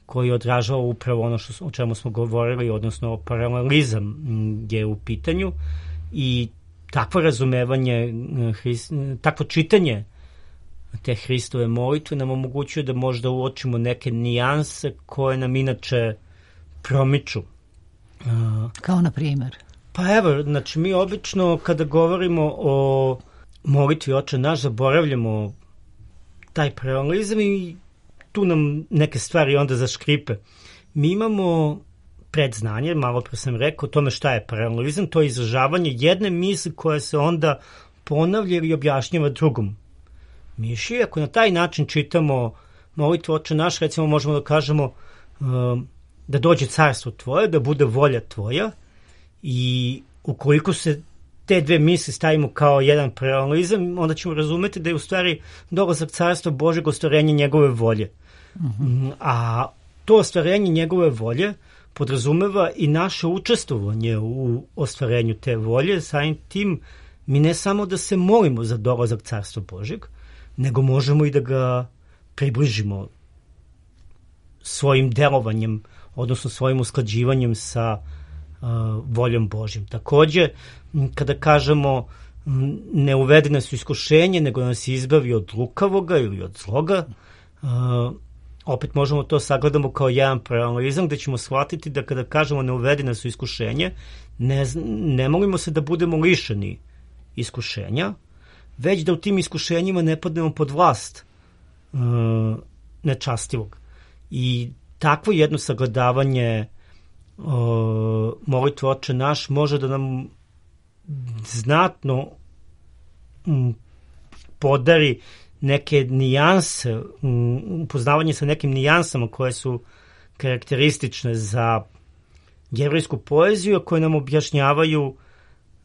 koji odražava upravo ono što, o čemu smo govorili, odnosno paralelizam je u pitanju, i takvo razumevanje, takvo čitanje te Hristove molitve nam omogućuje da možda uočimo neke nijanse koje nam inače promiču. Kao na primjer? Pa evo, znači mi obično kada govorimo o molitvi Oče naš zaboravljamo taj paralelizam i tu nam neke stvari onda zaškripe. Mi imamo predznanje, malo pre sam rekao, o tome šta je paralelizam, to je izražavanje jedne misli koja se onda ponavlja ili objašnjava drugom miši. Ako na taj način čitamo molitvu Oče naš, recimo možemo da kažemo um, da dođe carstvo tvoje, da bude volja tvoja, i ukoliko se te dve misli stavimo kao jedan paralelizam, onda ćemo razumeti da je u stvari dolazak carstva Božeg ostvarenje njegove volje. Uh-huh. A to ostvarenje njegove volje podrazumeva i naše učestvovanje u ostvarenju te volje. Samim tim mi ne samo da se molimo za dolazak Carstva Božjeg, nego možemo i da ga približimo svojim delovanjem, odnosno svojim usklađivanjem sa uh, voljom Božjom. Takođe, kada kažemo ne uvede nas u iskušenje, nego nas izbavi od lukavoga ili od zloga, uh, opet možemo to sagledamo kao jedan paralelizam gde ćemo shvatiti da kada kažemo ne uvede nas u iskušenje, ne, ne molimo se da budemo lišeni iskušenja, već da u tim iskušenjima ne padnemo pod vlast uh, nečastivog. I takvo jedno sagledavanje uh, molitve Oče naš može da nam znatno um, podari neke nijanse, um, upoznavanje sa nekim nijansama koje su karakteristične za jevrejsku poeziju, koje nam objašnjavaju,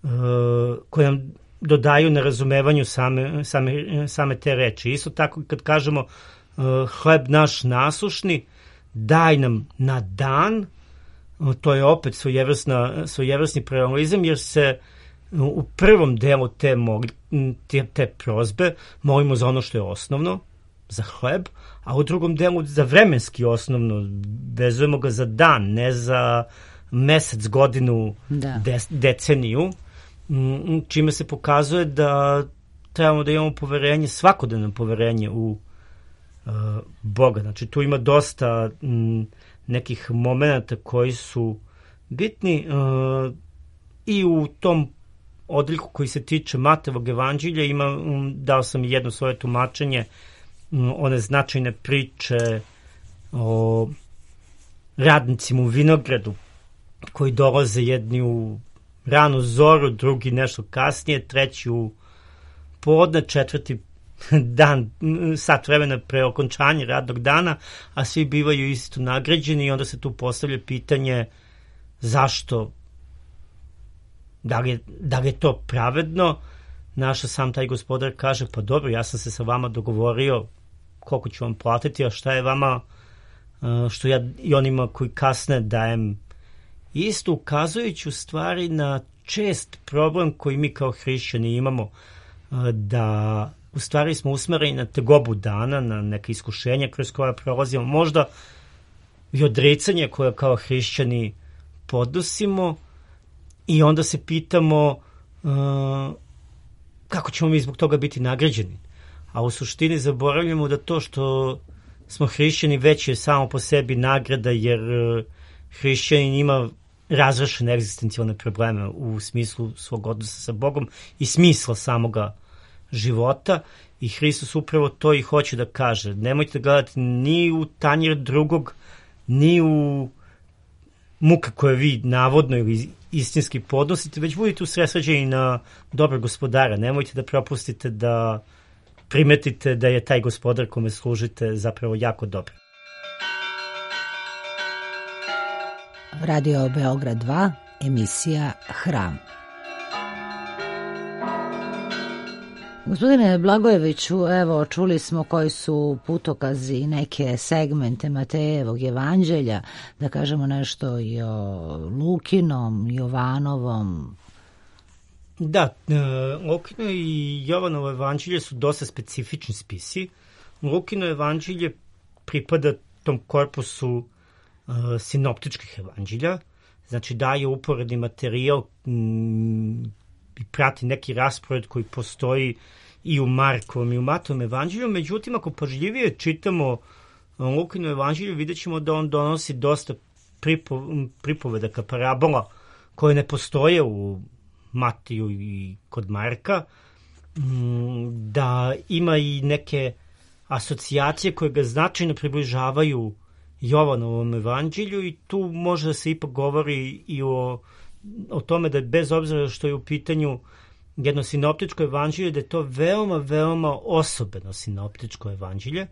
uh, koje nam dodaju na razumevanju same, same, same te reči. Isto tako kad kažemo uh, hleb naš nasušni, daj nam na dan, uh, to je opet svojevrsni paralelizam, jer se uh, u prvom delu te, mogli, te, te prozbe molimo za ono što je osnovno, za hleb, a u drugom delu za vremenski osnovno, vezujemo ga za dan, ne za mesec, godinu, da. de, deceniju, čime se pokazuje da trebamo da imamo poverenje, svakodnevno poverenje u uh, Boga. Znači, tu ima dosta m, nekih momenata koji su bitni uh, i u tom odliku koji se tiče Matejevog evanđelja ima, um, dao sam jedno svoje tumačenje, um, one značajne priče o radnicima u vinogradu koji dolaze jedni u ranu zoru, drugi nešto kasnije, treći u podne, četvrti dan, sat vremena pre okončanja radnog dana, a svi bivaju isto nagrađeni i onda se tu postavlja pitanje zašto, da li je, da li je to pravedno. Naša sam taj gospodar kaže, pa dobro, ja sam se sa vama dogovorio koliko ću vam platiti, a šta je vama što ja i onima koji kasne dajem, isto ukazujući u stvari na čest problem koji mi kao hrišćani imamo, da u stvari smo usmereni na tegobu dana, na neke iskušenja kroz koja prolazimo, možda i odricanje koje kao hrišćani podnosimo i onda se pitamo uh, kako ćemo mi zbog toga biti nagrađeni. A u suštini zaboravljamo da to što smo hrišćani već je samo po sebi nagrada, jer uh, hrišćanin ima razrešene egzistencijalne probleme u smislu svog odnosa sa Bogom i smisla samoga života, i Hristos upravo to i hoće da kaže. Nemojte gledati ni u tanjir drugog, ni u muke koje vi navodno ili istinski podnosite, već budite usredsređeni na dobrog gospodara. Nemojte da propustite da primetite da je taj gospodar kome služite zapravo jako dobar. Radio Beograd dva, emisija Hram. Gospodine Blagojeviću, evo, čuli smo koji su putokazi i neke segmente Matejevog evanđelja, da kažemo nešto i o Lukinom, Jovanovom. Da, Lukino i Jovanovo evanđelje su dosta specifični spisi. Lukino evanđelje pripada tom korpusu uh, sinoptičkih evanđelja, znači daje uporedni materijal m, i prati neki raspored koji postoji i u Markovom i u Matovom evanđelju. Međutim, ako pažljivije čitamo Lukino evanđelju, vidjet ćemo da on donosi dosta pripo, pripovedaka, parabola koje ne postoje u Matiju i kod Marka, da ima i neke asocijacije koje ga značajno približavaju Jovanovom evanđelju, i tu može da se ipak govori i o, o tome da bez obzira što je u pitanju jedno sinoptičko evanđelje, da je to veoma, veoma osobeno sinoptičko evanđelje.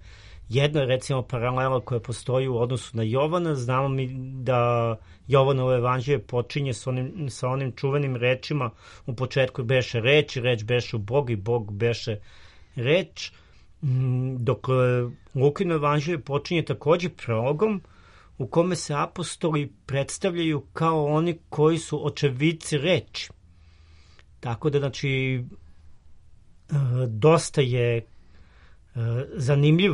Jedno je recimo paralela koja postoji u odnosu na Jovana. Znamo mi da Jovanovo evanđelje počinje sa onim, sa onim čuvenim rečima: u početku beše reč i reč beše u Bogu i Bog beše reč. Dok Lukino evanđelje počinje takođe prologom u kome se apostoli predstavljaju kao oni koji su očevidci reči. Tako da, znači, dosta je zanimljiv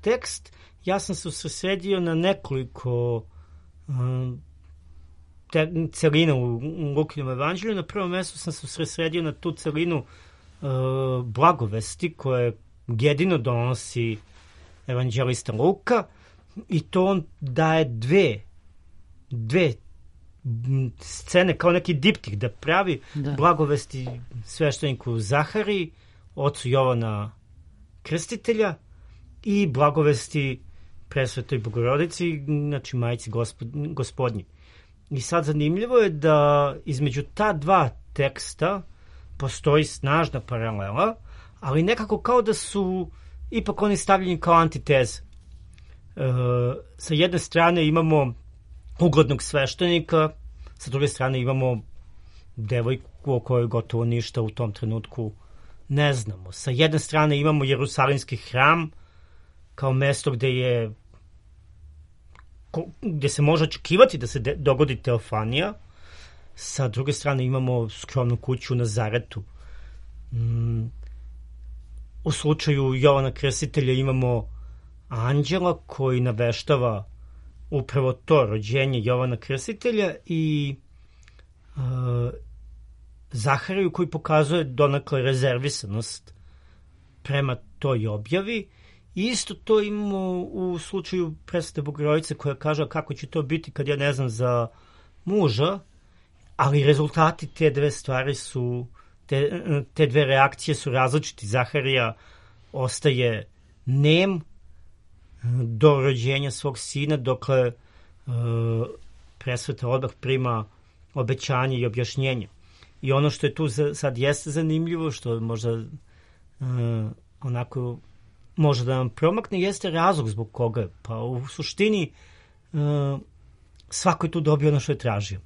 tekst. Ja sam se usredsredio na nekoliko te, celina u Lukinom evanđelju. Na prvom mjestu sam se usredsredio na tu celinu uh, blagovesti koje jedino donosi evanđelista Luka, i to on daje dve dve scene kao neki diptik da pravi da. Blagovesti svešteniku Zahariji, ocu Jovana Krstitelja, i blagovesti Presvetoj Bogorodici, znači Majici gospod, gospodnji. I sad zanimljivo je da između ta dva teksta postoji snažna paralela, ali nekako kao da su ipak oni stavljeni kao antiteze. E, sa jedne strane imamo uglednog sveštenika, sa druge strane imamo devojku o kojoj gotovo ništa u tom trenutku ne znamo. Sa jedne strane imamo Jerusalimski hram kao mesto gde je gde se može očekivati da se de, dogodi teofanija. Sa druge strane imamo skromnu kuću u Nazaretu. Mm, u slučaju Jovana Krstitelja imamo anđela koji naveštava upravo to rođenje Jovana Krstitelja, i uh, Zahariju koji pokazuje donakle rezervisanost prema toj objavi. Isto to imamo u slučaju Presvete Bogorodice koja kaže kako će to biti kad ja ne znam za muža, ali rezultati te dve stvari su, te, te dve reakcije su različiti. Zaharija ostaje nem do rođenja svog sina, dokle uh, Presveta odmah prima obećanje i objašnjenje. I ono što je tu za, sad jeste zanimljivo, što možda uh, onako može da nam promakne, jeste razlog zbog koga. Pa u suštini uh, svako je tu dobio ono što je tražio.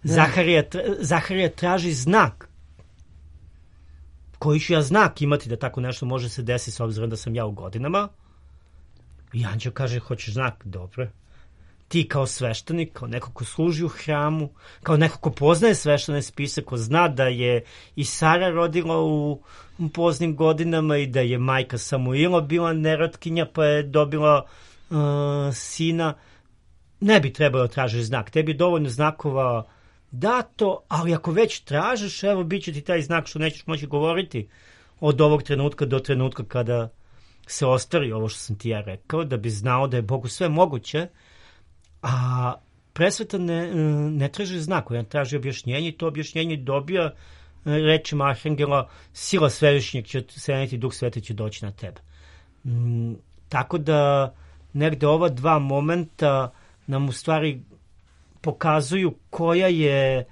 Zaharija, Zaharija traži znak. Koji ću ja znak imati da tako nešto može se desiti s obzirom da sam ja u godinama? I anđeo kaže, hoćeš znak? Dobro. Ti kao sveštenik, kao neko ko služi u hramu, kao neko ko poznaje sveštene spise, ko zna da je i Sara rodila u poznim godinama i da je majka Samuila bila nerotkinja pa je dobila uh, sina, ne bi trebalo tražiti znak. Tebi je dovoljno znakova dato, ali ako već tražiš, evo, bit će ti taj znak što nećeš moći govoriti od ovog trenutka do trenutka kada se ostvari ovo što sam ti ja rekao, da bi znao da je Bogu sve moguće. A Presveta ne, ne traži znak, on traži objašnjenje, i to objašnjenje dobija rečima arhangela, sila svevišnjeg će seniti, Duh Sveti će doći na tebe. Mm, tako da negde ova dva momenta nam u stvari pokazuju koja je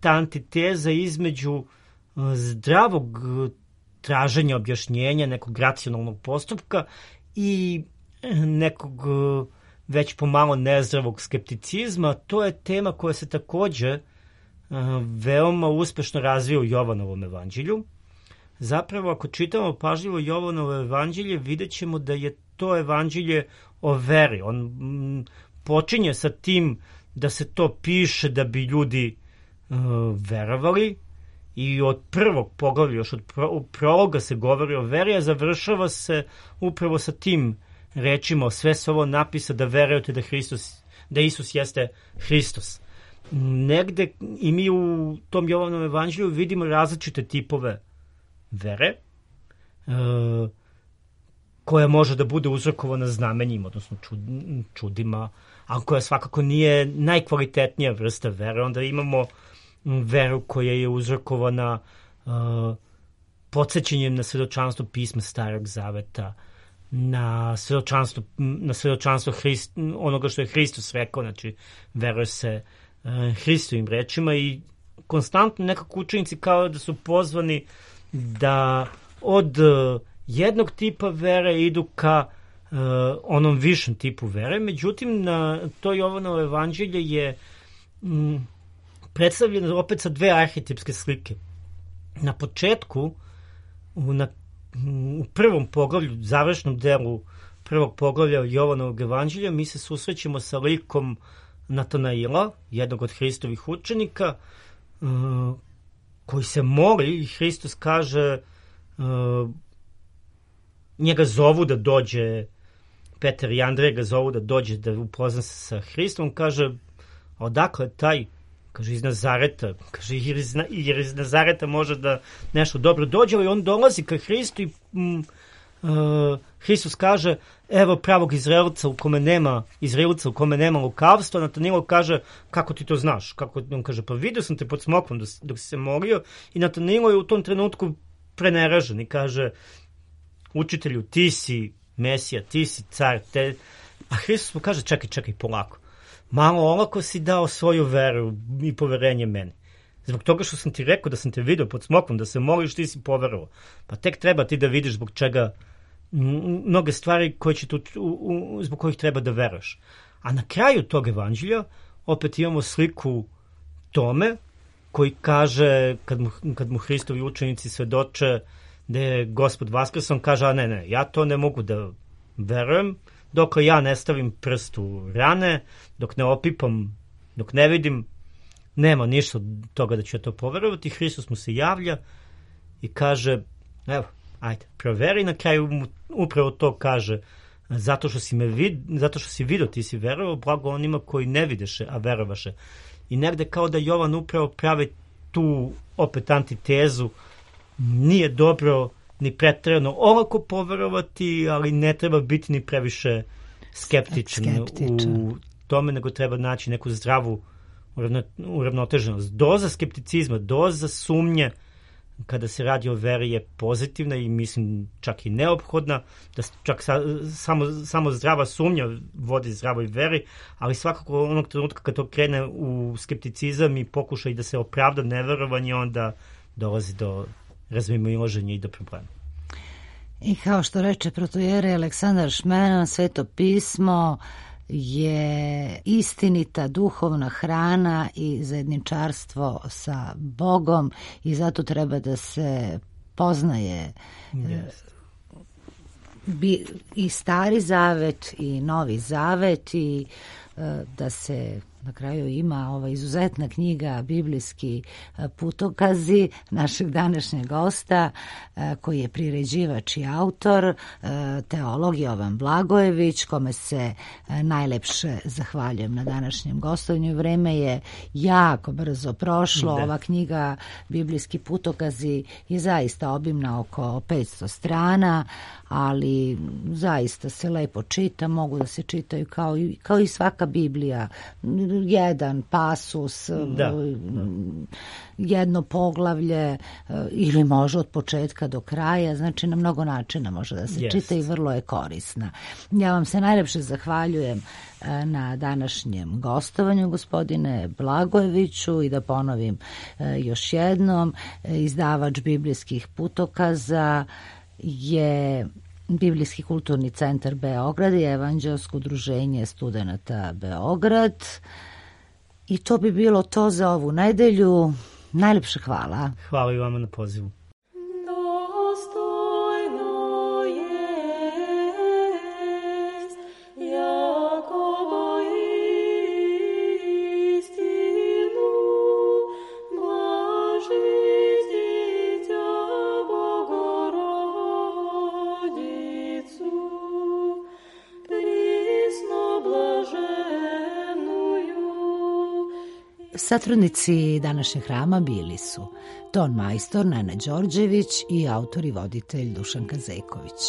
ta antiteza između zdravog traženja objašnjenja, nekog racionalnog postupka i nekog već pomalo nezdravog skepticizma. To je tema koja se takođe uh, veoma uspešno razvija u Jovanovom evanđelju. Zapravo, ako čitamo pažljivo Jovanovo evanđelje, vidjet ćemo da je to evanđelje o veri. On m, počinje sa tim da se to piše da bi ljudi uh, verovali, i od prvog poglavlja, još od pro, prologa se govori o veri, a završava se upravo sa tim rečima, sve se ovo napisa da verujete da Hristos, da Isus jeste Hristos. Negde i mi u tom Jovanom evanđelju vidimo različite tipove vere, e, koja može da bude uzrokovana znamenjima, odnosno čud, čudima, ali koja svakako nije najkvalitetnija vrsta vere. Onda imamo veru koja je uzrokovana e, podsjećanjem na svedočanstvo pisma Starog Zaveta, na svedočanstvo, na svedočanstvo Hrist, onoga što je Hristos rekao, znači veruje se uh, Hristovim rečima, i konstantno nekako učenici kao da su pozvani da od uh, jednog tipa vere idu ka uh, onom višem tipu vere. Međutim, na to Jovanovo evanđelje je um, predstavljeno opet sa dve arhetipske slike. Na početku, na u prvom poglavlju, završnom delu prvog poglavlja Jovanovog evanđelja mi se susrećemo sa likom Natanaila, jednog od Hristovih učenika, koji se moli i Hristos kaže, njega zovu da dođe, Petar i Andrej ga zovu da dođe da upozna se sa Hristom, kaže, odakle taj? Kaže, iz Nazareta. Kaže, jer iz, jer iz Nazareta može da nešto dobro dođe, ali on dolazi ka Hristu i mm, uh, Hristos kaže, evo pravog Izraelca u kome nema, Izraelca u kome nema lukavstva. Natanilo kaže, kako ti to znaš? Kako, on kaže, pa vidio sam te pod smokvom dok, dok si se molio, i Natanilo je u tom trenutku preneražen i kaže, učitelju, ti si Mesija, ti si car, te... A Hristos mu kaže, čekaj, čekaj, polako. Malo olako si dao svoju veru i poverenje meni. Zbog toga što sam ti rekao da sam te vidio pod smokvom, da se moliš, ti si poverovao. Pa tek treba ti da vidiš zbog čega mnoge stvari koje će tu, u, u, zbog kojih treba da veruješ. A na kraju tog evanđelja opet imamo sliku Tome, koji kaže, kad mu, kad mu Hristovi učenici svedoče da je Gospod vaskrs, on kaže, a ne, ne, ja to ne mogu da verujem, dok ja ne stavim prst u rane, dok ne opipam, dok ne vidim, nema ništa od toga da ću ja to poverovati. Hristos mu se javlja i kaže, evo, ajde, proveri. Na kraju mu upravo to kaže, zato što si me vid, zato što si vidio, ti si verovao, blago onima koji ne videše, a verovaše. I negde kao da Jovan upravo pravi tu opet antitezu, nije dobro ni preterano olako poverovati, ali ne treba biti ni previše skeptičan, skeptičan. u tome, nego treba naći neku zdravu uravnoteženost. Doza skepticizma, doza sumnje kada se radi o veri je pozitivna i mislim čak i neophodna, da čak sa, samo, samo zdrava sumnja vodi zdravoj veri, ali svakako onog trenutka kad to krene u skepticizam i pokušaj da se opravda neverovanje, onda dolazi do razmimoilaženja i do problema. I kao što reče protojere Aleksandar Šmenan, Sveto pismo je istinita duhovna hrana i zajedničarstvo sa Bogom i zato treba da se poznaje yes. bi, i Stari Zavet i Novi Zavet i da se na kraju ima ova izuzetna knjiga Biblijski putokazi našeg današnjeg gosta koji je priređivač i autor, teolog Jovan Blagojević, kome se najlepše zahvaljujem na današnjem gostovanju. Vreme je jako brzo prošlo. Da. Ova knjiga Biblijski putokazi je zaista obimna, oko petsto strana, ali zaista se lepo čita, mogu da se čitaju kao i, kao i svaka Biblija, jedan pasus, da. jedno poglavlje ili može od početka do kraja, znači na mnogo načina može da se yes. čita i vrlo je korisna. Ja vam se najlepše zahvaljujem na današnjem gostovanju, gospodine Blagojeviću, i da ponovim još jednom, izdavač Biblijskih putokaza je Biblijski kulturni centar Beograd i Evanđelsko udruženje studenata Beograd. I to bi bilo to za ovu nedelju. Najlepše hvala. Hvala i vama na pozivu. Satrudnici današnjeg hrama bili su ton majstor Nena Đorđević i autor i voditelj Dušanka Zeković.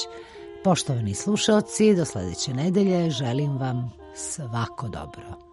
Poštovani slušaoci, do sledeće nedelje želim vam svako dobro.